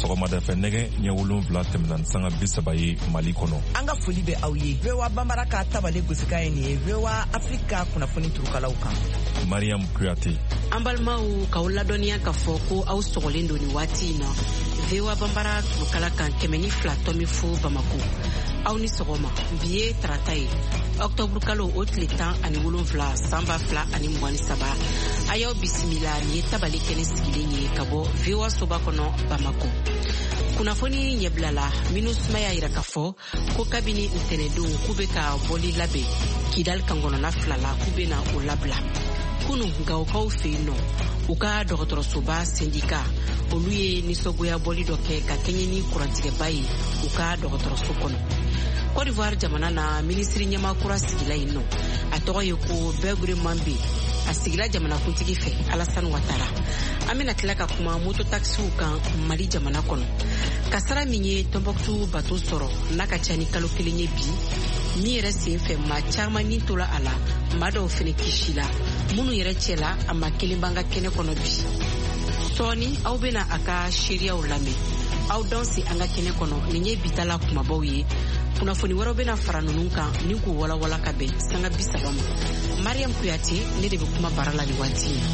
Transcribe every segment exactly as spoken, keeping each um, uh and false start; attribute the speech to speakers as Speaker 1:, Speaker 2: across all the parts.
Speaker 1: Sɔgɔmada fɛ nɛgɛ ɲɛ wolonwula tɛmɛna ni sanga bi saba ye Mali kɔnɔ.
Speaker 2: An ka foli bɛ aw ye. V O A Bambara ka tabale gosikan ye nin ye V O A Afrique kunnafoni turukalaw kan.
Speaker 1: Mariam Kuyate.
Speaker 3: An balimaw, k'aw ladɔnniya k'a fɔ ko aw sɔgɔlen don nin waati in na V O A Bambara turukala kan kɛmɛ ni fila tɔmi fu Bamako. Aw ni sɔgɔma. Bi ye tarata ye, ɔktɔburu kalo o tile tan ani wolonwula san ba fila ani mugan ni saba. A y'aw bisimila, nin ye tabale kɛnɛ sigilen ye ka bɔ V O A soba kɔnɔ Bamako. Kunnafoni ɲɛbila la, MINUSMA y'a yira k'a fɔ ko kabini ntɛnɛndon k'u bɛ ka bɔli labɛn Kidali kankɔnɔna fila la, k'u bɛna o labila. Kunu Gawokaw fɛ yen nɔ, u ka dɔgɔtɔrɔsoba sendika olu ye nisɔngoya bɔli dɔ kɛ ka kɛɲɛ ni kurantigɛba ye u ka dɔgɔtɔrɔso kɔnɔ. Côte d'Ivoire jamana na, minisiri ɲɛmaa kura sigila yen nɔ, a tɔgɔ ye ko Bɛgure Manbe. A sigila jamanakuntigi fɛ Alassane Ouattara. An bɛna tila ka kuma mototaxiw kan Mali jamana kɔnɔ. Kasara min ye Tombouctou bato sɔrɔ n'a ka ca ni kalo kelen ye bi, min yɛrɛ sen fɛ maa caman ni tola a la, maa dɔw fɛnɛ kisila, minnu yɛrɛ cɛla a ma kelen b'an ka kɛnɛ kɔnɔ bi. Sɔɔni aw bɛna a ka seereyaw lamɛn. Aw danse an ka kɛnɛ kɔnɔ, nin ye bitala kumabaw ye. Kunnafoni wɛrɛw bɛna fara ninnu kan ni k'u walawala ka bɛn sanga bi saba ma. Mariam Kuyate, ne de bɛ kuma bara la nin waati in na.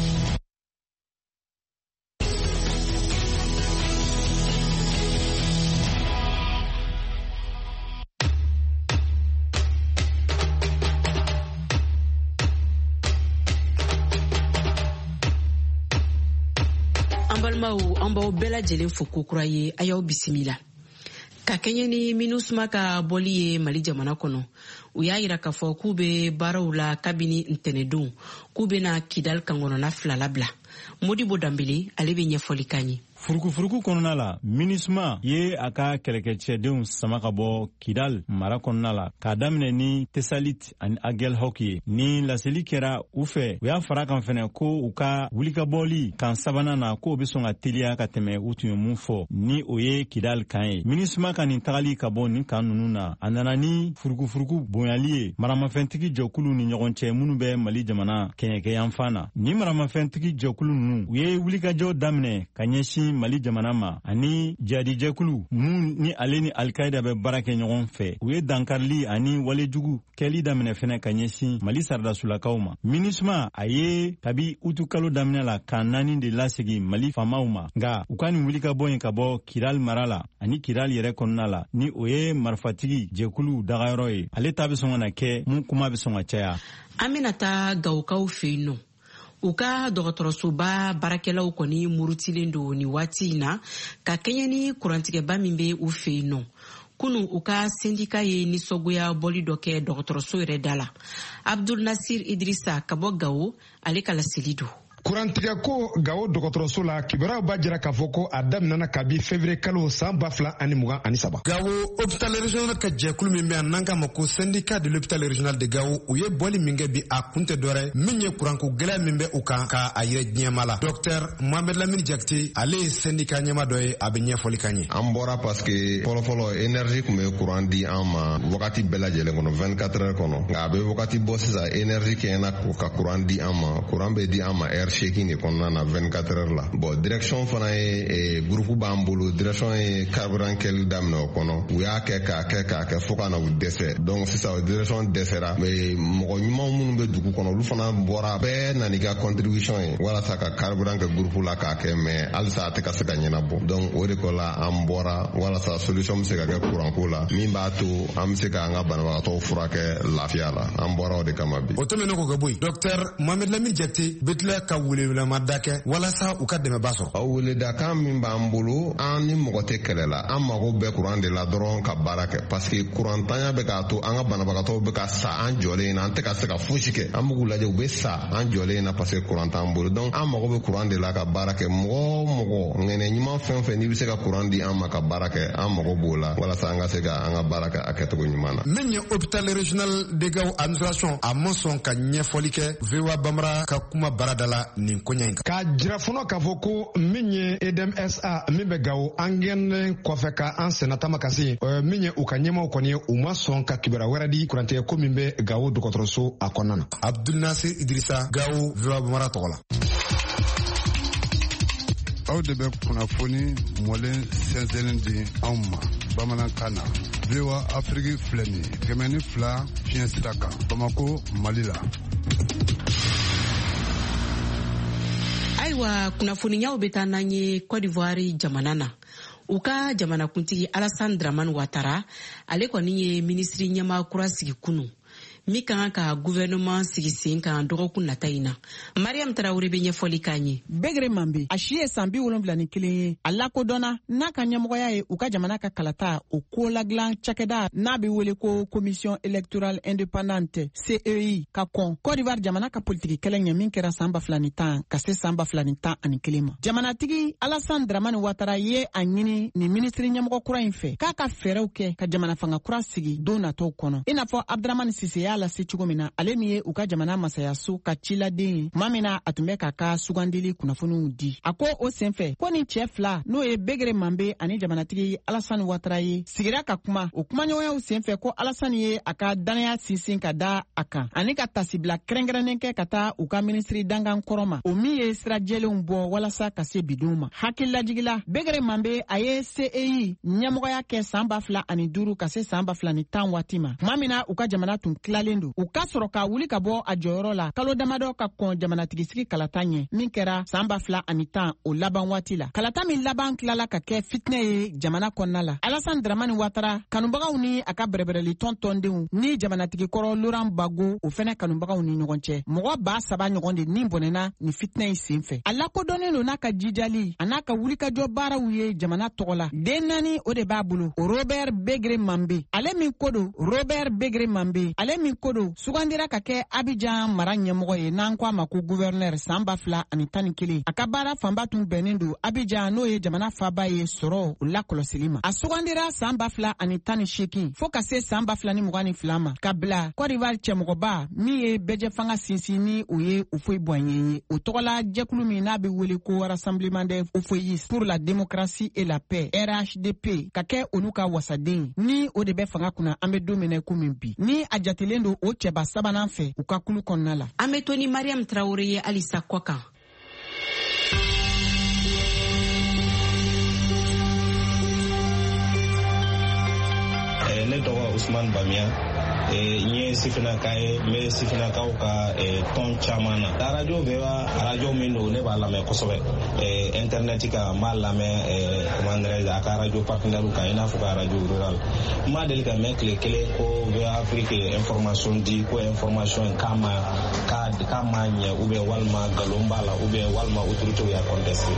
Speaker 3: An balimaw, an b'aw bɛɛ lajɛlen fo kokura ye, a y'aw bisimila. Ka kɛɲɛ ni MINUSMA ka bɔli ye Mali jamana kɔnɔ, u y'a yira k'a fɔ k'u bɛ baaraw la kabini ntɛnɛndon, k'u bɛna Kidali kankɔnɔna fila labila. Modibo Danbele, ale bɛ ɲɛfɔli k'an ye.
Speaker 4: Furukufuruku kɔnɔna la, MINUSMA ye a ka kɛlɛkɛcɛdenw sama ka bɔ Kidal mara kɔnɔna la k'a daminɛ ni Tesalit ani Aguelhok ye. Ni laseli kɛra u fɛ, u y'a fara kan fɛnɛ ko u ka wulikabɔli kan sabanan na, k'o bɛ sɔn ka teliya ka tɛmɛ u tun ye mun fɔ, ni o ye Kidal kan ye. MINUSMA ka nin tagali ka bɔ nin kan ninnu na, a nana ni furukufuruku bonyali ye maramafɛntigi jɛkulu ni ɲɔgɔn cɛ minnu bɛ Mali jamana kɛɲɛkɛyanfan na. Ni maramafɛntigi jɛkulu ninnu, u ye wulikajɔ daminɛ ka ɲɛsin Mali jamana ma ani jadijɛkulu mun ni ale ni Al-Qaïda bɛ baara kɛ ɲɔgɔn fɛ. U ye dankarili ani walejugu kɛli daminɛ fɛnɛ ka ɲɛsin Mali saradasulakaw ma. MINUSMA a ye kabi utu kalo daminɛ la kan naani de lasegi Mali faamaw ma, nka u ka nin wulikabɔ in ka bɔ Kidal mara la ani Kidal yɛrɛ kɔnɔna la, ni o ye marifatigi jɛkulu dagayɔrɔ ye, ale ta bɛ sɔn ka na kɛ mun kuma bɛ sɔn ka caya.
Speaker 3: An bɛna taa Gawokaw fɛ yen nɔ. U ka dɔgɔtɔrɔsoba baarakɛlaw kɔni murutilen don nin waati in na ka kɛɲɛ ni kurantigɛba min bɛ u fɛ yen nɔ. Kunu u ka sendika ye nisɔngoya bɔli dɔ kɛ dɔgɔtɔrɔso yɛrɛ da la. Abdul Nasir Idrissa ka bɔ Gawo, ale ka laseli don.
Speaker 5: Kurantigɛ ko Gawo dɔgɔtɔrɔso la, kibaruyaw b'a jira k'a fɔ ko a daminɛna kabi février kalo san ba fila ani mugan ani saba.
Speaker 6: Gawo hôpital régional ka jɛkulu min bɛ yan n'an k'a ma ko syndicat de l'hôpital régional de Gawo, u ye bɔli min kɛ bi, a kun tɛ dɔwɛrɛ min ye kuranko gɛlɛya min bɛ u kan k'a yira diɲɛma la. Docteur Mohamed Lamine Jakite, ale ye syndicat ɲɛma dɔ ye, a bɛ ɲɛfɔli k'an ye.
Speaker 7: An bɔra parce que fɔlɔfɔlɔ énergie tun bɛ courant di an ma wagati bɛɛ lajɛlen kɔnɔ vingt-quatre heures kɔnɔ, nka a bɛ wagati bɔ sisan énergie kɛɲɛna ka courant di an ma, courant bɛ di an ma heure seegin de kɔnɔna na vingt-quatre heures la. Bon, direction fana ye groupe b'an bolo, direction ye carburant kɛli daminɛ o kɔnɔ, u y'a kɛ k'a kɛ k'a kɛ fo ka na u dɛsɛ. Donc sisan direction dɛsɛra, mais mɔgɔ ɲuman minnu bɛ dugu kɔnɔ olu fana bɔra, bɛɛ nana ka contribution ye walasa ka carburant kɛ groupe la k'a kɛ, mais halisa a tɛ ka se ka ɲɛnabɔ. Donc o de ko la an bɔra walasa solution bɛ se ka kɛ courant ko la min b'a to an bɛ se k'an ka banabagatɔw furakɛ lafiya la. An bɔra o de kama bi.
Speaker 6: O tɛmɛnen kɔ ka bɔ yen, docteur Mohamed Lamine Jakite bɛ tila ka welewelemada kɛ walasa u ka dɛmɛba sɔrɔ.
Speaker 7: O weledakan min b'an bolo, an ni mɔgɔ tɛ kɛlɛ la, an mago bɛ kuran de la dɔrɔn ka baara kɛ, parce que kurantanya bɛ k'a to an ka banabagatɔw bɛ ka sa an jɔlen na, an tɛ ka se ka fosi kɛ. An b'u lajɛ, u bɛ sa an jɔlen na parce que kuran t'an bolo. Donc an mago bɛ kuran de la ka baara kɛ. Mɔgɔ o mɔgɔ ŋɛnɛ ɲuman fɛn fɛn n'i bɛ se ka kuran di an ma ka baara kɛ, an mago b'o la walasa an ka se ka an ka baara kɛ a kɛcogo ɲuman na.
Speaker 6: Min ye hôpital régional de Gao administration, a ma sɔn ka ɲɛfɔli kɛ V O A Bambara ka kuma baarada la nin koɲɛ in kan.
Speaker 5: K'a jira fɔlɔ k'a fɔ ko min ye E D M S A min bɛ Gawo, an gɛnnen kɔfɛ ka an senna taama ka se min ye u ka ɲɛmaaw kɔni ye, u ma sɔn ka kibaruya wɛrɛ di kurantigɛ ko min bɛ Gawo dɔgɔtɔrɔso a kɔnɔna na.
Speaker 6: Abdul Nasir Idrissa, Gawo, V O A Bambara tɔgɔ la.
Speaker 8: Aw de bɛ kunnafoni mɔlen sɛnsɛnnen di anw ma bamanankan na. V O A Afrique filɛ nin ye kɛmɛ ni fila fiɲɛ sira kan Bamako, Mali la.
Speaker 3: Ayiwa, kunnafoniyaw bɛ taa n'an ye Côte d'Ivoire jamana na. U ka jamanakuntigi Alassane Dramane Ouattara, ale kɔni ye minisiri ɲɛmaa kura sigi kunu min ka kan ka gouvernement sigi sen kan dɔgɔkun nata in na. Mariam Traoré bɛ ɲɛfɔli k'an ye.
Speaker 9: Begre Mambe, a si ye san bi wolonwula ni kelen ye, a lakodɔnna n'a ka ɲɛmɔgɔya ye u ka jamana ka kalata o ko ladilan cakɛda n'a bɛ wele ko Commission électorale indépendante C E I ka kɔn Côte d'Ivoire jamana ka politiki kɛlɛ ɲɛ min kɛra san ba fila ni tan ka se san ba fila ni tan ani kelen ma. Jamanatigi Alassane Dramane Ouattara ye a ɲini nin minisiri ɲɛmɔgɔ kura in fɛ k'a ka fɛɛrɛw kɛ ka jamana fanga kura sigi don nataw kɔnɔ. I n'a fɔ Abdramane Sise y'a lase cogo min na, ale min ye u ka jamana masayaso ka ciladen ye tuma min na a tun bɛ k'a ka sugandili kunnafoniw di. A ko o senfɛ ko ni cɛ fila, n'o ye Begre Mambe ani jamanatigi Alassane Ouattara ye, sigira ka kuma. O kumaɲɔgɔnyaw senfɛ ko Alassane ye a ka danaya sinsin ka da a kan ani ka tasibila kɛrɛnkɛrɛnnen kɛ ka taa u ka minisiri dankan kɔrɔ ma, o min ye sira jɛlenw bɔ walasa ka se bidenw ma. Hakililajigila, Begre Mambe a ye C E I ɲɛmɔgɔya kɛ san ba fila ani duuru ka se san ba fila ni tan waati ma, tuma min na u ka jamana tun tilalen don. U ka sɔrɔ ka wuli ka bɔ a jɔyɔrɔ la kalo damadɔ ka kɔn jamanatigisigi kalata ɲɛ min kɛra san ba fila ani tan o laban waati la. Kalata min laban tilala ka kɛ fitinɛ ye jamana kɔnɔna la. Alassane Dramane Ouattara kanubagaw ni a ka bɛrɛbɛrɛli tɔn tɔndenw ni jamanatigi kɔrɔ Laurent Gbagbo o fɛnɛ kanubagaw ni ɲɔgɔn cɛ, mɔgɔ ba saba ɲɔgɔn de ni bɔnɛna ni fitinɛ in sen fɛ. A lakodɔnnen don n'a ka jijali a n'a ka wulikajɔ baaraw ye jamana tɔgɔ la. Den naani o de b'a bolo, Robert Begre Mambe, ale min ko don Robert Begre Mambe, ale min ko don sugandira ka kɛ Abidjan mara ɲɛmɔgɔ ye n'an ko a ma ko gouverneur san ba fila ani tan ni kelen. A ka baara fanba tun bɛnnen don Abidjan, n'o ye jamana faaba ye, sɔrɔ o lakɔlɔsili ma. A sugandira san ba fila ani tan ni seegin fo ka se san ba fila ni mugan ni fila ma, ka bila Côte d'Ivoire cɛmɔgɔba min ye bɛɛjɛfanga sinsin ni o ye Houphouët-Boigny ye, o tɔgɔla jɛkulu min n'a bɛ wele ko Rassemblement des Houphouëtistes pour la démocratie et la paix R H D P, ka kɛ olu ka wasaden ni o de bɛ fanga kunna an bɛ don min na komi bi, ni a jatelen don o cɛba sabanan fɛ u ka kulu kɔnɔna la.
Speaker 3: An bɛ to ni Mariam Traoré ye halisa kɔ kan.
Speaker 10: Ne tɔgɔ Ousmane Bamia, n ye sifinnaka ye, n bɛ sifinnakaw ka tɔn caman na. Radio V O A, radio min don, ne b'a lamɛn kosɛbɛ internet kan, n b'a lamɛn comment dirais-je a ka radio partenaire kan, i n'a fɔ ka radio rural. N ma deli ka mɛn tile kelen ko V O A Afrique information di ko information k'a ma k'a ma ɲɛ ou bien walima nkalon b'a la ou bien walima autorité y'a contesté.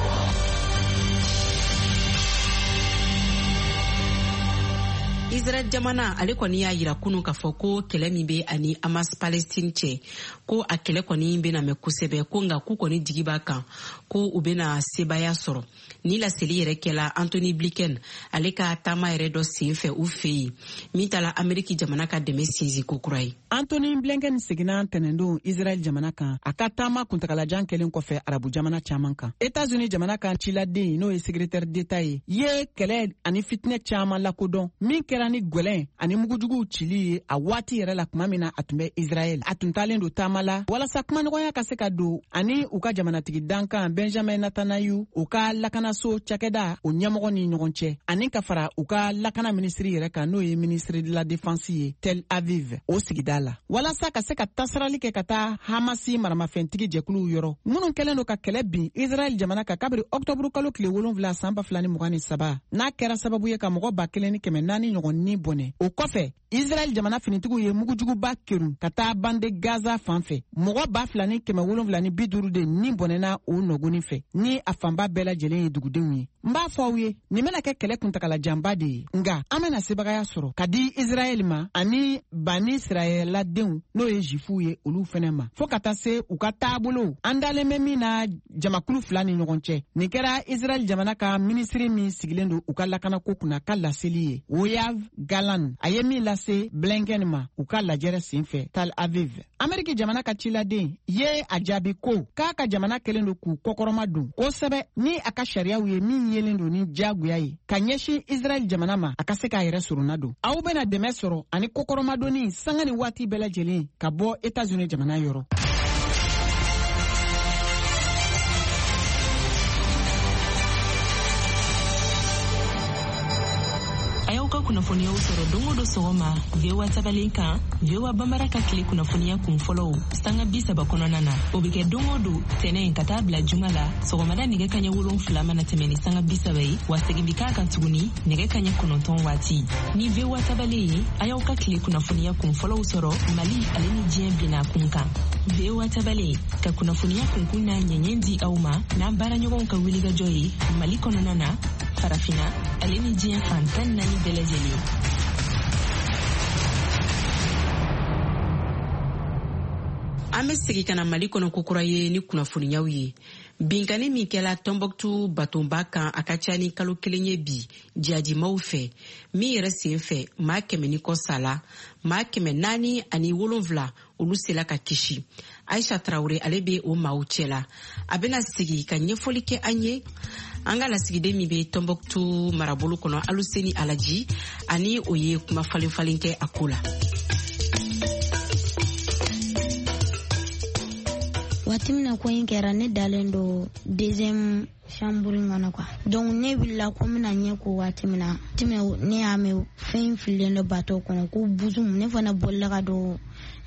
Speaker 3: Israel jamana ale kɔni y'a yira kunu k'a fɔ ko kɛlɛ min bɛ ani Hamas Palestine cɛ, ko a kɛlɛ kɔni bɛna mɛn kosɛbɛ, ko nka k'u kɔni jigi b'a kan ko u bɛna sebaya sɔrɔ. Ni laseli yɛrɛ kɛla Anthony Blinken ale ka taama yɛrɛ dɔ sen fɛ u fɛ yen min taala Ameriki jamana ka dɛmɛ sinsin ko kura ye.
Speaker 9: Anthony Blinken seginna tɛnɛndon Israel jamana kan a ka taama kuntagalajan kɛlen kɔfɛ arabu jamana caman kan. États-Unis jamana kan ciladen, n'o ye secrétaire d'État ye, ye kɛlɛ ani fitinɛ caman lakodɔn min kɛra ni gwɛlɛn ani mugujuguw cili ye a waati yɛrɛ la tuma min na a tun bɛ Israɛl. A tun taalen don taama la walasa kumaɲɔgɔnya ka se ka don ani u ka jamanatigi dankan Benjamin Netanyahu, u ka lakanaso cakɛda o ɲɛmɔgɔ ni ɲɔgɔn cɛ, ani ka fara u ka lakana minisiri yɛrɛ kan, n'o ye ministre de la défense ye Tel Aviv o sigida la, walasa ka se ka tasarali kɛ ka taa Hamasi maramafɛntigi jɛkuluw yɔrɔ minnu kɛlen don ka kɛlɛ bin Israɛl jamana kan kabiri ɔktɔburu kalo tile wolonwula san ba fila ni mugan ni saba, n'a kɛra sababu ye ka mɔgɔ ba kelen ni kɛmɛ naani ɲɔgɔn ni bɔnɛ. O kɔfɛ Israɛl jamana finitigiw ye mugujuguba kerun ka taa bande Gaza fan fɛ. Mɔgɔ ba fila ni kɛmɛ wolonwula ni bi duuru de ni bɔnɛna o nɔgɔni fɛ, ni a fanba bɛɛ lajɛlen ye dugudenw ye. N b'a fɔ aw ye, nin bɛna kɛ kɛlɛ kuntagalajanba de ye, nka an bɛna sebagaya sɔrɔ ka di Israɛl ma ani bani Israɛladenw, n'o ye Zifuw ye, olu fɛnɛ ma, fɔɔ ka taa se u ka taabolow an dalen bɛ min na jamakulu fila ni ɲɔgɔn cɛ. Nin kɛra Israɛl jamana ka minisiri min sigilen don u ka lakanako kunna ka laseli ye, Yoav Gallant, a ye min lase Blinken ma u ka lajɛrɛ sen fɛ Tel Aviv. Ameriki jamana ka ciladen ye a jaabi ko k'a ka jamana kɛlen don k'u kɔkɔrɔma don kosɛbɛ ni a ka sariyaw ye min yelen don ni diyagoya ye ka ɲɛsin Israɛl jamana ma a ka se k'a yɛrɛ sorona don. Aw bɛna dɛmɛ sɔrɔ ani kɔkɔrɔmadonni sanga ni waati bɛɛ lajɛlen ka bɔ États-Unis jamana yɔrɔ.
Speaker 11: kunnafoniyaw sɔrɔ don o don sɔgɔma V O A tabalen kan, V O A Bambara ka tile kunnafoniya kun fɔlɔw sanga bi saba kɔnɔna na. O bɛ kɛ don o don tɛnɛn ka taa bila juma la sɔgɔmada nɛgɛ kaɲɛ wolonfila mana tɛmɛ ni sanga bi saba ye, wa segin bɛ k'a kan tuguni nɛgɛ kaɲɛ kɔnɔntɔn waati. Ni V O A tabalen ye, a y'aw ka tile kunnafoniya kun fɔlɔw sɔrɔ Mali ale ni diɲɛ binna kun kan. V O A tabalen ka kunnafoniya kunkun n'a ɲɛɲɛ di aw ma n'an baaraɲɔgɔnw ka wulikajɔ ye Mali kɔnɔna na, Farafina ale ni diɲɛ fan tan naani bɛɛ lajɛlen.
Speaker 3: An bɛ segin ka na Mali kɔnɔ kokura ye ni kunnafoniyaw ye. Binkanni min kɛla Tombouctou batonba kan a ka ca ni kalo kelen ye bi jihadimaw fɛ, min yɛrɛ sen fɛ maa kɛmɛ ni kɔ sala, maa kɛmɛ naani ani wolonfila olu sela ka kisi. Aisha Traoré ale bɛ o maaw cɛla, a bɛna sigi ka ɲɛfɔli kɛ an ye. An ka lasigiden min bɛ Tombouctou marabolo kɔnɔ, Aluseni Alaji, ani o ye kuma falen falen kɛ a ko la.
Speaker 12: Waati min na ko in kɛra, ne dalen don deuxième chambre in kɔnɔ quoi. Donc ne wulila ko n bɛna ɲɛ ko waati min na, waati min ne y'a mɛn fɛn fililen dɔ bateau kɔnɔ ko buzum, ne fana bolila ka don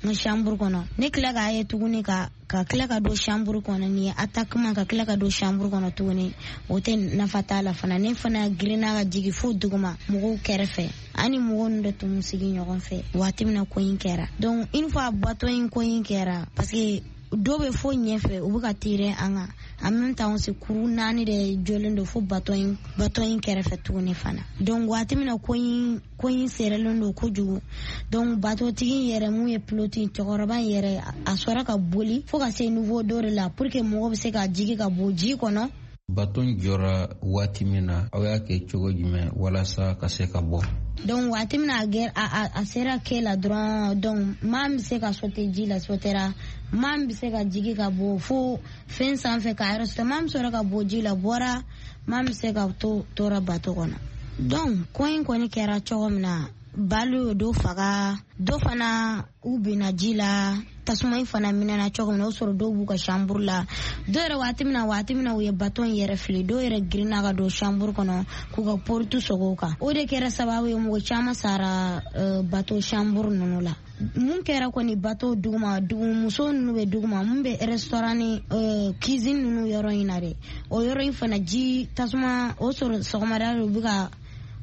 Speaker 12: n ka chambre kɔnɔ. Ne tila k'a ye tuguni ka ka tila ka don chambre kɔnɔ, ni attaquement ka tila ka don chambre kɔnɔ tuguni, o tɛ nafa t'a la fana. Ne fana girinna ka jigin fo duguma mɔgɔw kɛrɛfɛ, ani mɔgɔw ninnu de tun sigi ɲɔgɔn fɛ waati min na ko in kɛra. Donc une fois bateau in ko in kɛra, parce que dɔw bɛ fo ɲɛfɛ u bɛ ka tirer an kan, en même temps aussi kuru naani de jɔlen don fo bateau in bateau in kɛrɛfɛ tuguni fana. Donc waati min na ko in ko in serelen don kojugu, donc bateau tigi yɛrɛ mun ye pilote cɛkɔrɔba in yɛrɛ, a sɔrɔ ka boli fo ka se niveau dɔ de la pour que mɔgɔ bɛ se ka jigin ka bɔ ji kɔnɔ.
Speaker 13: Baton jɔra waati min na, aw y'a kɛ cogo jumɛn walasa ka se ka bɔ?
Speaker 12: Donc waati min na a a sera kɛ la dɔrɔn, donc maa min bɛ se ka sauter ji la sautera, maa min bɛ se ka jigin ka bɔ fo fɛn sanfɛ k'a yɛrɛ sauter, maa min sɔrɔ ka bɔ ji la bɔra, maa min bɛ se ka to tora bateau kɔnɔ. Donc ko in kɔni kɛra cogo min na, balu ye dɔ faga, dɔ fana u binna ji la, tasuma in fana minɛna cogo min na, o sɔrɔ dɔw b'u ka chambre la. Dɔw yɛrɛ waati min na waati min na u ye bateau in yɛrɛ fili, dɔw yɛrɛ girinna ka don chambre kɔnɔ k'u ka porte sɔgɔ u kan. O de kɛra sababu ye mɔgɔ caman sara uh, bateau chambre ninnu la. Mun kɛra kɔni bateau duguma, dugumuso ninnu bɛ duguma, mun bɛ restaurant ni uh, cuisine ninnu yɔrɔ in na dɛ, o yɔrɔ in fana ji tasuma o sɔrɔ sɔgɔmada u bɛ ka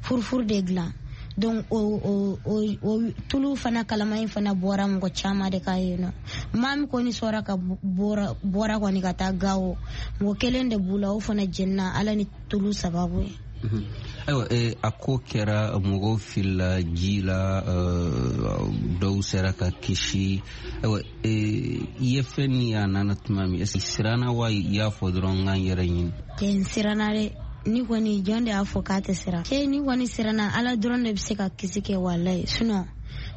Speaker 12: furufuru de dilan. Donc o o o o tulu fana kalama in fana bɔra mɔgɔ caman de ka yen nɔ. Maa min kɔni sɔrɔ ka bɔra bɔra kɔni ka taa Gawo, mɔgɔ kelen de b'u la, o fana jenina Ala ni tulu sababu ye.
Speaker 13: Ayiwa, a ko kɛra mɔgɔw filila ji la, dɔw sera ka kisi. Ayiwa, i ye fɛn min ye a nana tuma min, est-ce que siranna wa i y'a fɔ dɔrɔn n ka n yɛrɛ ɲini?
Speaker 12: Cɛ, n siranna dɛ. Ni kɔni jɔn de y'a fɔ k'a tɛ siran? Cɛ, ni kɔni siranna, Ala dɔrɔn de bɛ se ka kisi kɛ walayi. Sinon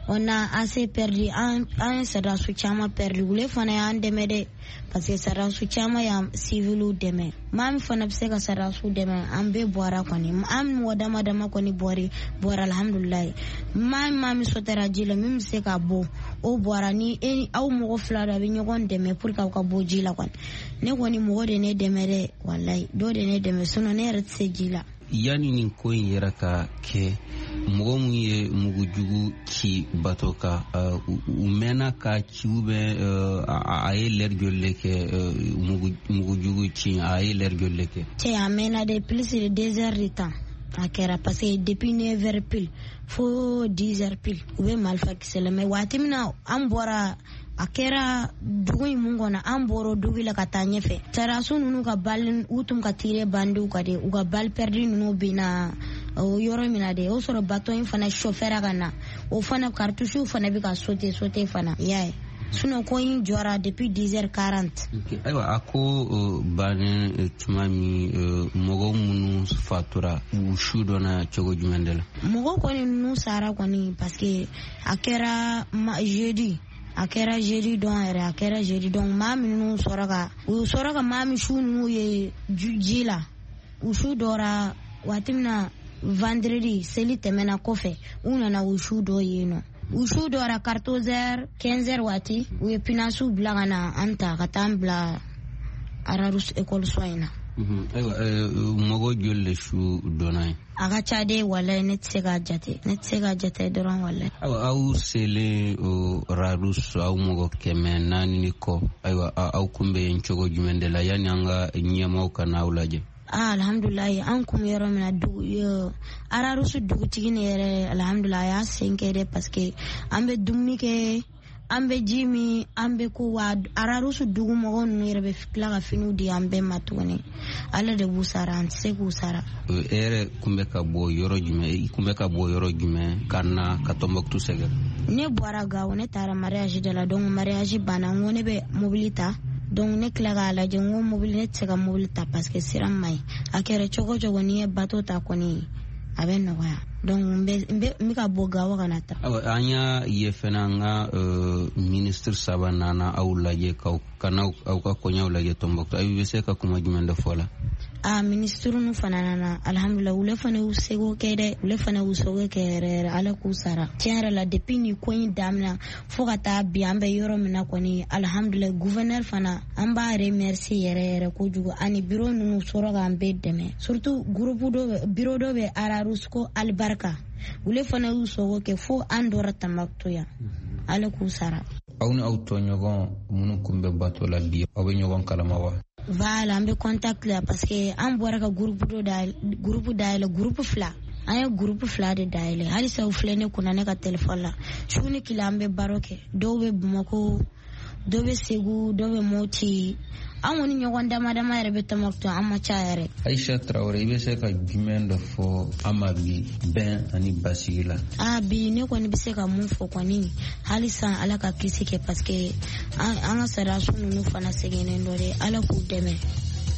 Speaker 12: on a assez perdu, an an ye sɔrɔdasi caman perdu. Olu fana y'an dɛmɛ dɛ, parce que sɔrɔdasi caman y'an civiliw dɛmɛ. Maa min fana bɛ se ka sɔrɔdasiw dɛmɛ, an bɛɛ bɔra kɔni, an mɔgɔ dama dama kɔni bɔra bɔra alhamdulilayi. Maa maa min sɔtɛra ji la, min bɛ se ka bɔ, o bɔra. Ni e aw mɔgɔ fila dɔ a bɛ ɲɔgɔn dɛmɛ pour que aw ka bɔ ji la kɔni. Ne kɔni mɔgɔ de ne dɛmɛ dɛ walayi, dɔ de ne dɛmɛ, sinon ne yɛrɛ tɛ se ji la.
Speaker 13: Yanni nin ko in yɛrɛ ka kɛ, mɔgɔ mun ye mugujugu ci bato kan, u mɛnna ka ci ou bien a ye lɛri joli de kɛ mugujugu ci, a ye lɛri joli de kɛ?
Speaker 12: Cɛ, a mɛnna de, plus de deux heures de temps a kɛra, parce que depuis neuf heures pile fo dix heures pile u bɛ marifa kisɛ la. Mais waati min na an bɔra, a kɛra dugu in mun kɔnɔ, an bɔra dugu la ka taa ɲɛfɛ. Sɔrɔdasi ninnu ka bali, u tun ka tirer bandiw kan de, u ka balle perdue ninnu binna o yɔrɔ min na de, o sɔrɔ bateau in fana chauffeur ka na, o fana cartouche fana bɛ ka sauter sauter fana, i y'a ye. Sinon ko in jɔra depuis dix heures quarante.
Speaker 13: Ayiwa, a ko bannen tuma min, mɔgɔ minnu fatura, u su dɔnna cogo jumɛn de la?
Speaker 12: Mɔgɔ kɔni ninnu sara kɔni, parce que a kɛra jeudi, a kɛra jeudi don yɛrɛ, a kɛra jeudi don. Maa minnu sɔrɔ ka u sɔrɔ ka maa min su ninnu ye ji la, u su dɔra waati min na vendredi seli tɛmɛna kɔfɛ, u nana u su dɔ yen nɔ. U su dɔra quatorze heures quinze heures waati, u ye pinasiw bila ka na an ta ka taa an bila Ararus école so in na.
Speaker 13: Ayiwa, mɔgɔ joli de su donna ye?
Speaker 12: A ka ca de, walayi, ne tɛ se k'a jate, ne tɛ se k'a jate dɔrɔn, walayi.
Speaker 13: Ayiwa, aw selen o Rharous, aw mɔgɔ kɛmɛ naani ni kɔ, ayiwa, aw kun bɛ yen cogo jumɛn de la yanni an ka ɲɛmaaw ka n'aw lajɛ?
Speaker 12: Ah, alhamdulilayi, an kun bɛ yɔrɔ min na, dugu Rharous dugutigi ne yɛrɛ, alhamdulilayi, a y'a sen kɛ dɛ, parce que an bɛ dumuni kɛ, an bɛ ji min, an bɛ ko wa Rharous dugu mɔgɔw ninnu yɛrɛ bɛ tila ka finiw di an bɛɛ ma tuguni. Ala de b'u sara, an tɛ se k'u sara.
Speaker 13: E yɛrɛ kun bɛ ka bɔ yɔrɔ jumɛn? I kun bɛ ka bɔ yɔrɔ jumɛn ka na ka Tɔnbɔkutu sɛgɛrɛ?
Speaker 12: Ne bɔra Gawo, ne taara mariage de la, donc mariage banna, n ko ne bɛ mobili ta. Donc ne tila k'a lajɛ, n ko mobili, ne tɛ se ka mobili ta parce que sira man ɲi. A kɛra cogo o cogo, n'i ye bateau ta kɔni, a bɛ nɔgɔya. Donc n bɛ n bɛ ka bɔ Gawo ka na ta.
Speaker 13: Ayiwa, an y'a ye fɛnɛ an ka ministre saba nana aw lajɛ k'aw ka n'aw aw ka koɲɛw lajɛ Tɔnbɔkutu. Aw bɛ se ka kuma jumɛn de fɔ la?
Speaker 12: Ah, ministre nu fana nana, alhamdulilah, olu fana y'u seko kɛ dɛ, olu fana y'u seko kɛ yɛrɛ yɛrɛ, Ala k'u sara. Tiɲɛ yɛrɛ la, depuis nin ko in daminɛ fo ka taa bi, an bɛ yɔrɔ min na kɔni, alhamdulilah, gouverneur fana, an b'a remercier yɛrɛ yɛrɛ kojugu, ani bureau ninnu sɔrɔ k'an bɛɛ dɛmɛ, surtout groupe dɔ, bureau dɔ bɛ Rharous ko Alibarika, olu fana y'u seko kɛ fo an dɔra Tɔnbɔkutu yan, Ala k'u sara.
Speaker 13: Aw ni aw tɔɲɔgɔn minnu kun bɛ bato la bi, aw bɛ ɲɔgɔn kalama wa?
Speaker 12: Voilà, an bɛ contact la parce que an bɔra ka groupe dɔ dayɛlɛ, groupe dayɛlɛ, groupe fila. An ye groupe fila de dayɛlɛ. Halisa u filɛ ne kunna ne ka téléphone la. Su ni tile an bɛ baro kɛ. Dɔw bɛ Bamakɔ, dɔw bɛ Segu, dɔw bɛ Moti. An kɔni ɲɔgɔn dama dama yɛrɛ bɛ Tɔnbɔkutu, an ma ca yɛrɛ.
Speaker 13: Aisha Traoré, i bɛ se ka jumɛn dɔ fɔ an ma bi bɛn ani basigi la?
Speaker 12: Ah, bi ne kɔni bɛ se ka mun fɔ kɔni, halisa Ala ka kisi kɛ, parce que an ka sariyasun ninnu fana sɛgɛnnen dɔ dɛ, Ala k'u dɛmɛ,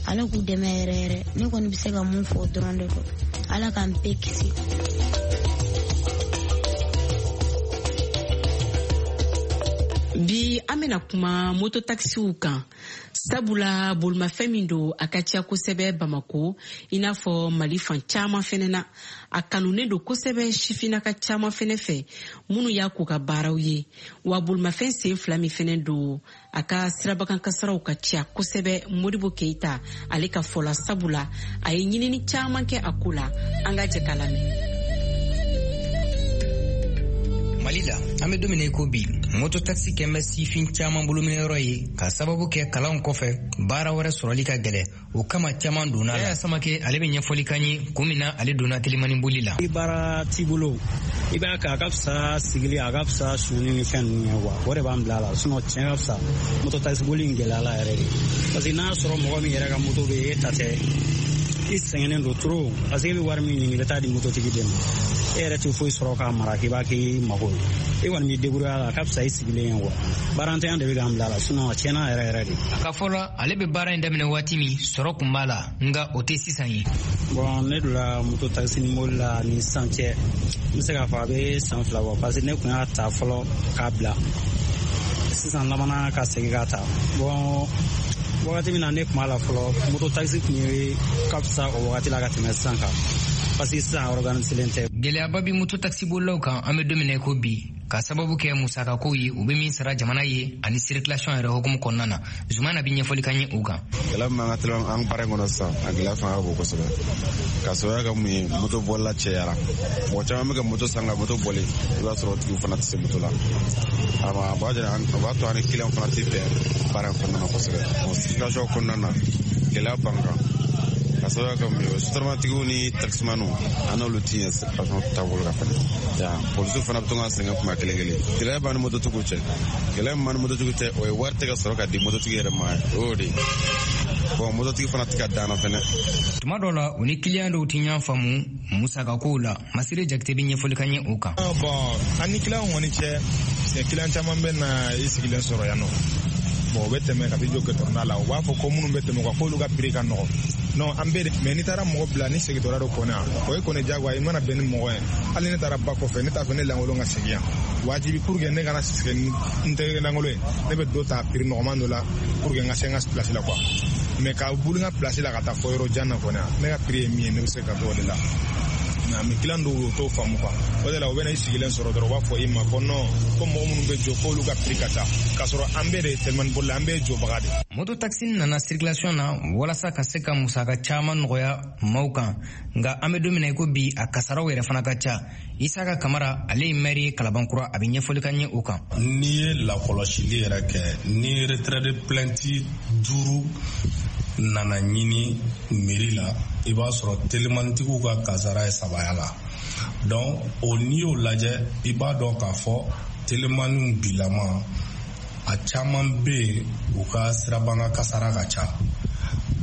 Speaker 12: Ala k'u dɛmɛ yɛrɛ yɛrɛ. Ne kɔni bɛ se ka mun fɔ dɔrɔn de don, Ala k'an bɛɛ kisi.
Speaker 3: Bi an bɛna kuma mototaxiw kan, sabula bolimafɛn min don, a ka ca kosɛbɛ Bamako, i n'a fɔ Mali fan caman fɛnɛ na. A kanunen don kosɛbɛ sifinnaka caman fɛnɛ fɛ minnu y'a k'u ka baaraw ye. Wa bolimafɛn sen fila min fɛnɛ don, a ka sirabakan kasaraw ka ca kosɛbɛ. Modibo Keita ale ka fɔ la, sabula a ye ɲinini caman kɛ a ko la. An ka jɛ k'a lamɛn.
Speaker 14: Mali la, an bɛ don min na i ko bi, mototaxi kɛn bɛ sifin caman bolominɛyɔrɔ ye ka sababu kɛ kalanw kɔfɛ baara wɛrɛ sɔrɔli ka gɛlɛ, o kama caman donna la. Yaya Samake ale bɛ ɲɛfɔli k'an ye kun min na ale donna telimani boli la.
Speaker 15: Ni baara t'i bolo, i b'a kɛ, a ka fisa sigili, a ka fisa suni ni fɛn ninnu ye quoi, o de b'an bila a la. Sinon tiɲɛ ka fisa mototaxi boli in gɛlɛya la yɛrɛ de, parce que n'a sɔrɔ mɔgɔ min yɛrɛ ka moto bɛ yen, e ta tɛ, i sɛgɛnnen don trop, parce que e bɛ wari min ɲini, i bɛ taa di mototigi de ma, e yɛrɛ tɛ foyi sɔrɔ k'a mara k'i b'a k'i mago ye, e kɔni b'i débrouiller a la, a ka fisa i sigilen ye quoi. Baarantanya de bɛ k'an bila a la, sinon a tiɲɛna yɛrɛ yɛrɛ de.
Speaker 14: A ka fɔ la, ale bɛ baara in daminɛ waati min, sɔrɔ kun b'a la, nka o tɛ sisan ye.
Speaker 15: Bon, ne donna moto taxi ni mobili la ni sisan cɛ, n bɛ se k'a fɔ a bɛ san fila bɔ, parce que ne kun y'a ta fɔlɔ k'a bila, sisan labanna ka segin k'a ta. Bon, wagati min na ne kun b'a la fɔlɔ, moto taxi kun ye ka fisa o wagati la ka tɛmɛ sisan kan, parce que sisan organisélen tɛ.
Speaker 14: Gɛlɛyaba bɛ moto taxi bolilaw kan an bɛ don min na i ko bi, ka sababu kɛ musakakow ye u bɛ min sara jamana ye ani circulation yɛrɛ hukumu kɔnɔna na. Zumana bɛ ɲɛfɔli k'an ye o kan.
Speaker 16: Gɛlɛya min b'an ka teliman an baara in kɔnɔ sisan, a gɛlɛya fanga ka bon kosɛbɛ, ka sababuya kɛ mun ye, moto bolila cɛyara, mɔgɔ caman bɛ ka moto san ka moto boli, i b'a sɔrɔ o tigiw fana tɛ se moto la. A b'a jira, a b'a to an ni kiliyanw fana tɛ bɛn baara in kɔnɔna na kosɛbɛ. Circulation kɔnɔna na, gɛlɛya b'an kan, ka sababuya kɛ mun ye, sotaramatigiw ni taximaniw, an n'olu ti ɲɛ circulation taabolo kan fɛnɛ. Polisiw fana bɛ to ka sɛgɛn kuma kelen kelen. Gɛlɛya b'an ni mototigiw cɛ, gɛlɛya min b'an ni mototigiw cɛ, o ye wari tɛ ka sɔrɔ ka di mototigi yɛrɛ ma, o y'o de ye. Bon, mototigi fana tɛ ka dan na fɛnɛ.
Speaker 14: Tuma dɔw la, u ni kiliyan dɔw tɛ ɲɔgɔn faamu musakakow la. Masire Jakite bɛ ɲɛfɔli k'an ye o kan.
Speaker 17: Bon, an ni kiliyanw kɔni cɛ, kiliyan caman bɛ na i sigilen sɔrɔ yan nɔ. Bon, u bɛ tɛmɛ ka t'i jɔ gɛtɔrɔnda la, u b'a fɔ ko minnu bɛ tɛmɛ u kan k'olu ka prix ka nɔgɔn. Non, an bɛɛ de, mais n'i taara mɔgɔ bila ni segintɔla dɔ kɔnɔ yan, o ye kɔni diyagoya, i mana bɛn ni mɔgɔ ye. Hali ne taara ba kɔfɛ, ne t'a fɛ ne lankolon ka segin yan. Wajibi pour que ne kana segin n tɛgɛ lankolon ye, ne bɛ dɔ ta prix nɔgɔman dɔ la pour que n ka se n ka place la quoi. Mais ka boli n ka place la ka taa fɔ yɔrɔ jan na kɔni, ne ka prix ye min ye, ne bɛ se ka t'o de la. Mais an bɛ client dɔw ye o t'o faamu quoi. O de la u bɛ na i sigilen sɔrɔ dɔrɔn u b'a fɔ i ma ko non, ko mɔgɔ minnu bɛ jɔ k'olu ka prix ka ca, k'a sɔrɔ an bɛɛ de ye telimani bolila, an bɛɛ ye jɔbaga de.
Speaker 14: Moto taxi nana circulation na walasa ka se ka musaka caman nɔgɔya maaw kan, nka an bɛ don min na i ko bi, a kasaraw yɛrɛ fana ka ca. Isaka Kamara, ale ye maire ye Kalabankura, a bɛ ɲɛfɔli ka ɲɛ o kan.
Speaker 18: N'i ye lakɔlɔsili yɛrɛ kɛ, ni retrait de plainte duuru nana ɲini mairie la, i b'a sɔrɔ telimanitigiw ka kasara ye sabaya la. Donc o n'i y'o lajɛ, i b'a dɔn k'a fɔ telimaniw bilama a caman bɛ yen, u ka sirabanga kasara ka ca.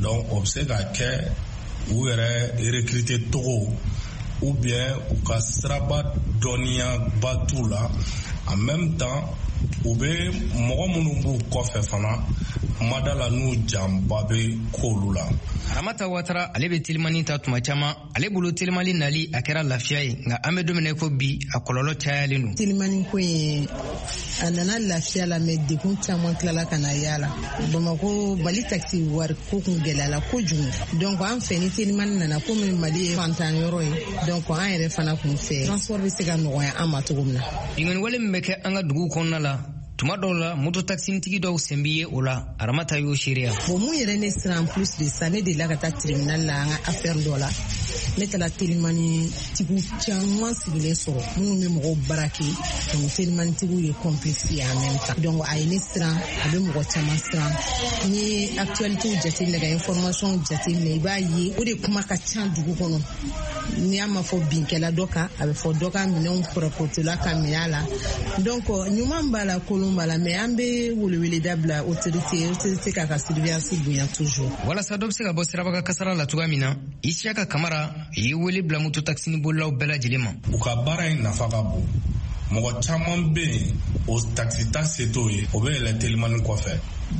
Speaker 18: Donc o bɛ se ka kɛ u yɛrɛ recruter togo ou bien u ka siraba dɔnniyaba t'u la. En même temps, u bɛ mɔgɔ minnu b'u kɔfɛ fana, mada la n'u janba bɛ k'olu la.
Speaker 14: Ramata Watara, ale bɛ telimani ta tuma caman. Ale bolo telimani nali a kɛra lafiya ye, nka an bɛ don min na i ko bi, a kɔlɔlɔ cayalen don.
Speaker 19: Telimani ko in, a nana lafiya la, mais degun caman tilala ka na y'a la. Bamakɔ Mali taxi wari ko kun gɛlɛyala kojugu. Donc an fɛ, ni telimani nana, komi Mali ye fantan yɔrɔ ye, donc an yɛrɛ fana kun fɛ transport bɛ se ka nɔgɔya an ma cogo min na.
Speaker 14: Binkanni wale min bɛ kɛ an ka duguw kɔnɔna la, tuma dɔw la moto taxitigi dɔw sen bɛ ye o la. Aramata y'o seereya.
Speaker 19: Bon, mun yɛrɛ ne siran plus de ça, ne delila ka taa tribunal la an ka affaire dɔ la. Ne taara telimani tigiw caman sigilen sɔrɔ minnu bɛ mɔgɔw braquer, donc telimani tigiw ye complice ye en même temps. Donc a ye ne siran, a bɛ mɔgɔ caman siran. N'i ye actualité jateminɛ, ka information jateminɛ, i b'a ye o de kuma ka ca dugu kɔnɔ. N'i y'a ma fɔ binkɛla dɔ kan, a bɛ fɔ dɔ ka minɛnw pɔrɔpɔtɔla ka minɛ a la. Donc ɲuman b'a la, kolon b'a la, mais an bɛ weleweleda bila autorité autorité k'a ka surveillance bonya toujours.
Speaker 14: Walasa dɔ bɛ se ka bɔ sirabaga kasara la cogoya min na, Isiyaka Kamara ye wele bila moto taxi bolilaw bɛɛ lajɛlen ma.
Speaker 18: U ka baara in nafa ka bon. Mɔgɔ caman bɛ yen, o taxi ta se t'o ye, o bɛ yɛlɛ telimani kɔfɛ.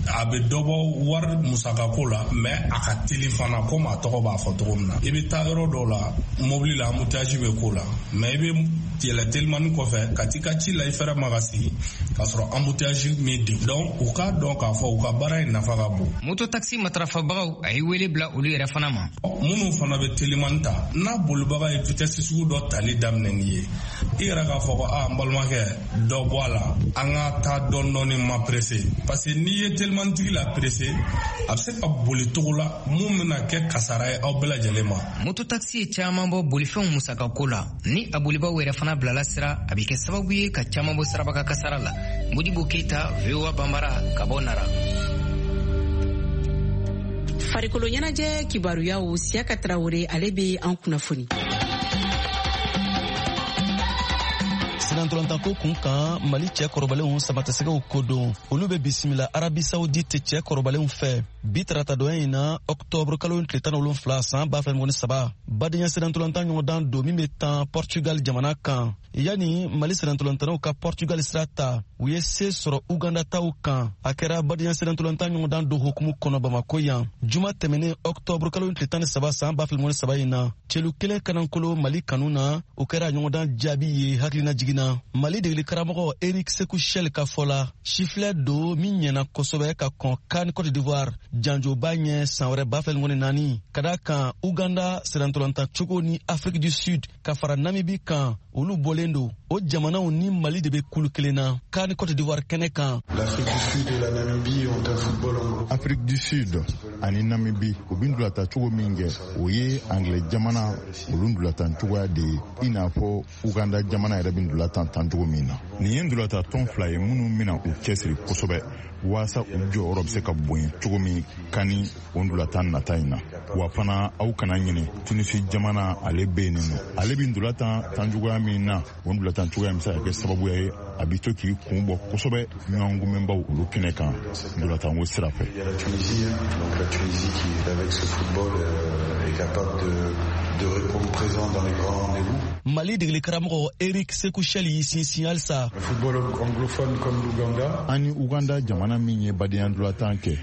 Speaker 18: A bɛ dɔ bɔ wari musakako la, mais a ka teli fana, komi a tɔgɔ b'a fɔ cogo min na. I bɛ taa yɔrɔ dɔw la mobili la, embouteillage bɛ k'o la, mais i bɛ yɛlɛ telimani kɔfɛ ka t'i ka ci la, i fɛrɛ ma ka sigi k'a sɔrɔ embouteillage min degun. Donc u k'a dɔn k'a fɔ u ka baara in nafa ka bon.
Speaker 14: Moto taxi matarafabagaw, a ye wele bila olu yɛrɛ fana ma.
Speaker 18: Minnu fana bɛ telimani ta, n'a bolibaga ye vitesse sugu dɔ tali daminɛ n'i ye, i yɛrɛ k'a fɔ ko aa, n balimakɛ, dɔ bɔ a la, an ka taa dɔɔni dɔɔni, ma pressé, parce que n'i ye telimantigi la pressé, a bɛ se ka boli cogo la mun bɛna kɛ kasara ye aw bɛɛ lajɛlen ma.
Speaker 14: Moto taxi ye caman bɔ bolifɛnw musakako la. Ni a bolibaw yɛrɛ fana bilala sira, a bɛ kɛ sababu ye ka caman bɔ sirabaga kasara la. Modibo Keyita, V O A Banbara, ka bɔ Nara.
Speaker 3: Farikolo ɲɛnajɛ kibaruyaw, Siyaka Tarawele, ale bɛ an kunnafoni.
Speaker 20: Sinantolantanko kun kan, Mali cɛ kɔrɔbalenw samatasɛgɛw kodon, olu bɛ bisimila Arabi Saoudite cɛ kɔrɔbalenw fɛ bi taratadonya in na, octobre kalo tile tan ni wolonfila san ba fila ni saba, badenya sinantolantan ɲɔgɔndan don min bɛ tan Portugal jamana kan. Yanni Mali sinantolantannaw ka Portugal sira ta, u ye se sɔrɔ Uganda taw kan. A kɛra badenya sinantolantan ɲɔgɔndan don hukumu kɔnɔ Bamako yan juma tɛmɛnen, octobre kalo tile tan ni saba san ba fila ni saba in na. Celu kelen kanankolo Mali kanu na, o kɛra ɲɔgɔndan jaabi ye hakilina jiginna. Mali degeli karamɔgɔ Eric Sekou Chelle ka fɔ la, sifilɛ don min ɲɛna kosɛbɛ ka kɔn CAN Côte d'Ivoire janjoba ɲɛ san wɛrɛ ba fila ni naani, ka da kan Uganda sirantolantan cogo ni Afrique du Sud ka fara Namibie kan, olu bɔlen don. O jamanaw ni Mali de bɛ kulu kelen na CAN Côte d'Ivoire kɛnɛ kan.
Speaker 21: Afrique du Sud ani Namibie, u bɛ ntolatan cogo min kɛ, o ye anglais jamana olu ntolatan cogoya de ye, i n'a fɔ Uganda jamana yɛrɛ bɛ ntolatan tan cogo min na. Nin ye ntolatan tɔn fila ye minnu bɛna u cɛsiri kosɛbɛ waasa u jɔyɔrɔ bɛ se ka bonya cogo min kan ni o ntolatan nata in na. Wa fana, aw kana ɲinɛ, Tunisi jamana ale bɛ yen nɔ, ale bɛ ntolatan tan cogoya min na, o ntolatan cogoya in bɛ se ka kɛ sababuya ye a bɛ to k'i kun bɔ kosɛbɛ ɲɔgɔn kunbɛnbaw olu kɛnɛ kan ntolatanko sira fɛ.
Speaker 20: Mali degeli karamɔgɔ Eric Sekou Chelle y'i sinsin halisa.
Speaker 21: An ni Uganda jamana min ye badenya ntolatan kɛ,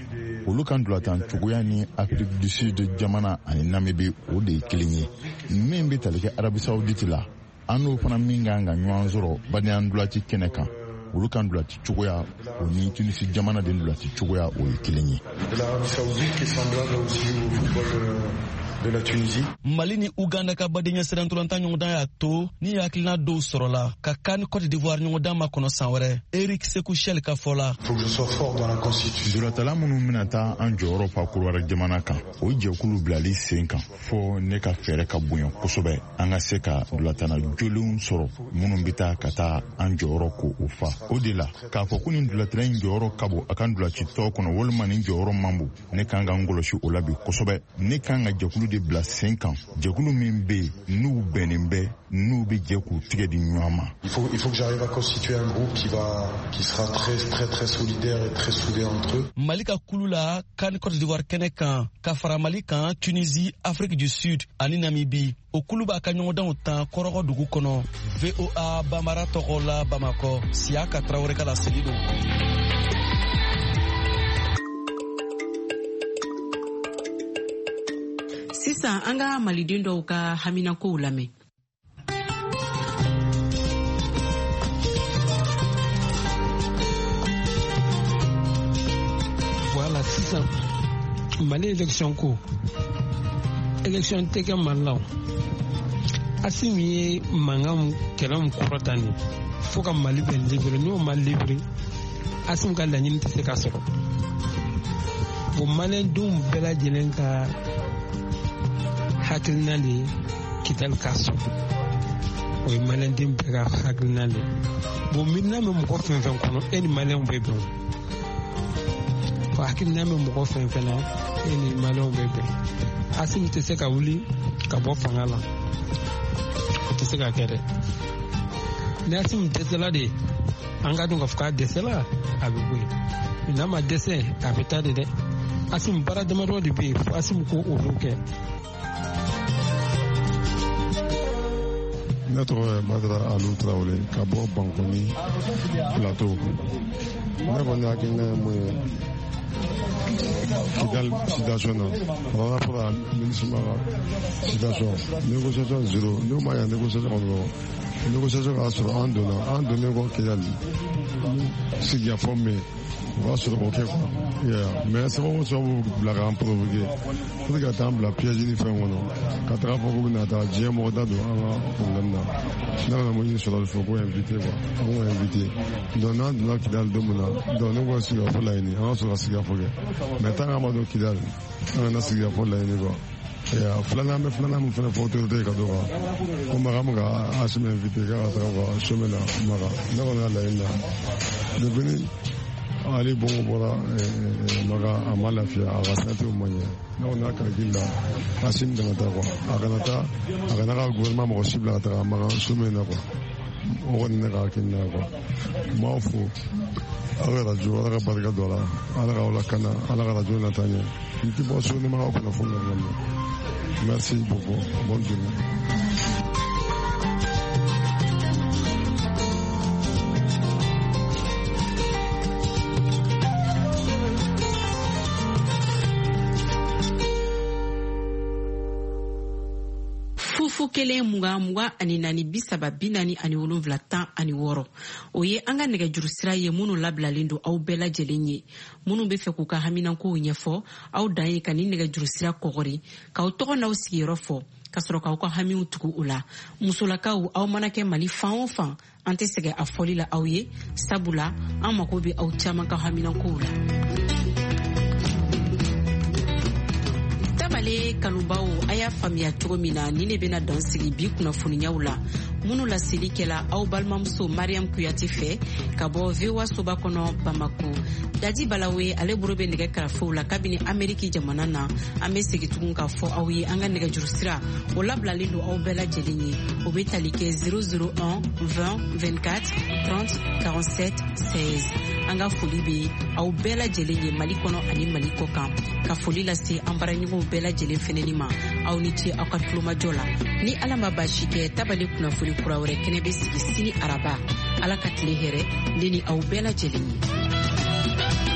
Speaker 21: olu ka ntolatan cogoya ni Afrique du Sud jamana ani Namibie, o de ye kelen ye. Min bɛ tali kɛ Arabie Saoudite la, an n'o fana min kan ka ɲɔgɔn sɔrɔ badenya ntolaci kɛnɛ kan, olu ka ntolaci cogoya o ni Tunisi jamana de ntolaci cogoya o ye kelen ye.
Speaker 2: de la Tunisie.
Speaker 20: Mali ni Uganda ka badenya sirantolatan ɲɔgɔndan y'a to ni hakilina dɔw sɔrɔla ka CAN Côte d'Ivoire ɲɔgɔndan makɔnɔ san wɛrɛ. Eric Sekou Chelle ka fɔ la.
Speaker 2: Faut que je sois fort dans la constitution.
Speaker 21: Ntolatala minnu bɛna taa an jɔyɔrɔ fa Korowari jamana kan, o jɛkulu bilali sen kan fɔ ne ka fɛɛrɛ ka bonya kosɛbɛ an ka se ka ntolatana jolenw sɔrɔ minnu bɛ taa ka taa an jɔyɔrɔ ko o fa. O de la k'a fɔ ko nin ntolatana in jɔyɔrɔ ka bon a ka ntolaci tɔw kɔnɔ walima nin jɔyɔrɔ man bon, ne kan ka n kɔlɔsi o la bi kosɛbɛ. Ne kan ka jɛkulu de bila sen kan, jɛkulu min bɛ yen n'u bɛnnen bɛ, n'u bɛ jɛ k'u tigɛ di ɲɔgɔn ma.
Speaker 2: Il faut, il faut que j'arrive à constituer un groupe qui va, qui sera très, très, très solidaire et très soudé entre eux.
Speaker 20: Mali ka kulu la CAN Côte d'Ivoire kɛnɛ kan ka fara Mali kan, Tunisie, Afrique du Sud ani Namibie. O kulu b'a ka ɲɔgɔndanw tan Kɔrɔgɔ dugu kɔnɔ. V O A Bambara tɔgɔ la Bamakɔ, Siyaka Tarawele ka laseli don.
Speaker 3: Sisan an ka maliden dɔw ka haminakow lamɛn.
Speaker 22: Voilà, sisan Mali élection ko élection tɛ kɛ Mali la o. Assimi ye mankan kɛlɛ min kɔrɔta nin fo ka Mali bɛɛ libéré, n'o ma libéré Assimi ka laɲini tɛ se ka sɔrɔ. Bon, maliyɛndenw bɛɛ lajɛlen ka hakilina de ye Kidali ka sɔrɔ, o ye maliyɛnden bɛɛ ka hakilina de ye. Bon, miirina bɛ mɔgɔ fɛn fɛn kɔnɔ, e ni maliyɛnw bɛ bɛn o. Hakilina bɛ mɔgɔ fɛn fɛn na, e ni maliyɛnw bɛ bɛn. Assimi tɛ se ka wuli ka bɔ fanga la, o tɛ se ka kɛ dɛ. Ni Assimi dɛsɛla de, an ka dɔn k'a fɔ k'a dɛsɛla, a bɛ bɔ yen. N'a ma dɛsɛ, a bɛ taa de dɛ. Assimi baara damadɔ de bɛ yen fo Assimi k'o olu kɛ.
Speaker 23: Ne tɔgɔ ye Badara Alu Tarawele ka bɔ Bankoni Plateau. Ne kɔni hakilina ye mun ye Kidal situation na, par rapport à MINUSMA ka situation, négociation zéro. N'u ma ɲa négociation kɔnɔ dɔrɔn, négociation k'a sɔrɔ an donna, an donnen kɔ Kidal sigikafɔ min o b'a sɔrɔ k'o kɛ quoi. Mais sababu o sababu bila k'an provoquer pour que ka taa an bila piège ni fɛn kɔnɔ ka taga fɔ k'u bɛna taa diɲɛ mɔgɔ da don an ka problème na. Ne kana mun ɲini sɔrɔ fɛ k'o invité quoi, an k'o invité. Donc n'an donna Kidal don min na, donc ne ko sigikafɔ laɲini, an ka sɔrɔ ka sigikafɔ kɛ. Mais tant qu'an ma don Kidal, an kana sigikafɔ laɲini quoi. Filanan bɛ filanan min fana fɔ autorité ye ka d'o kan ko Makan bɛ ka Assimi invité k'a ka taga u ka sommet na Makan. Ne kɔni ka laɲini na depuis ni Ali Bongo bɔra Makan, a ma lafiya, a ka santé ma ɲɛ. Ne kɔni ka calcul la, Assimi kana taa quoi, a kana taa, a kana ka gouvernement mɔgɔ si bila ka taga Makan sommet na quoi. O kɔni ne ka hakilina ye quoi. N b'aw fo aw ka radio, Ala ka barika don a la, Ala k'aw lakana, Ala ka radio nata ɲɛ. N tɛ bɔ so ni ma aw kunnafoni lamɛn. Merci beaucoup. Bonne journée.
Speaker 3: Fu kelen mugan mugan ani naani bi saba bi naani ani wolonwula tan ani wɔɔrɔ, o ye an ka nɛgɛjuru sira ye minnu labilalen don aw bɛɛ lajɛlen ye. Minnu bɛ fɛ k'u ka haminankow ɲɛfɔ, aw dan ye ka nin nɛgɛjuru sira kɔgɔri k'aw tɔgɔ n'aw sigiyɔrɔ fɔ ka sɔrɔ k'aw ka hamiw tugu o la. Musolakaw, aw mana kɛ Mali fan o fan, an tɛ sɛgɛn a fɔli la aw ye, sabula an mago bɛ aw caman ka haminankow la. Tabale kanubaw, a y'a faamuya cogo min na, ni ne bɛna dan sigi bi kunnafoniyaw la minnu laseli kɛla aw balimamuso Mariam Kuyate fɛ ka bɔ V O A soba kɔnɔ Bamako. Dadi Balawe ale bolo bɛ nɛgɛ karafew la kabini Ameriki jamana na. An bɛ segin tugun k'a fɔ aw ye an ka nɛgɛjuru sira o labilalen don aw bɛɛ lajɛlen ye. O bɛ tali kɛ zéro zéro un vingt vingt-quatre trente quarante-sept seize. An ka foli bɛ aw bɛɛ lajɛlen ye Mali kɔnɔ ani Mali kɔ kan. Ka foli lase an baaraɲɔgɔnw bɛɛ lajɛlen fɛnɛni ma. Aw ni ce aw ka tulomajɔ la. Ni Ala ma baasi kɛ, tabale kunnafoni kura wɛrɛ kɛnɛ bɛ sigi sini araba. Ala ka tile hɛrɛ ne ni aw bɛɛ lajɛlen ye.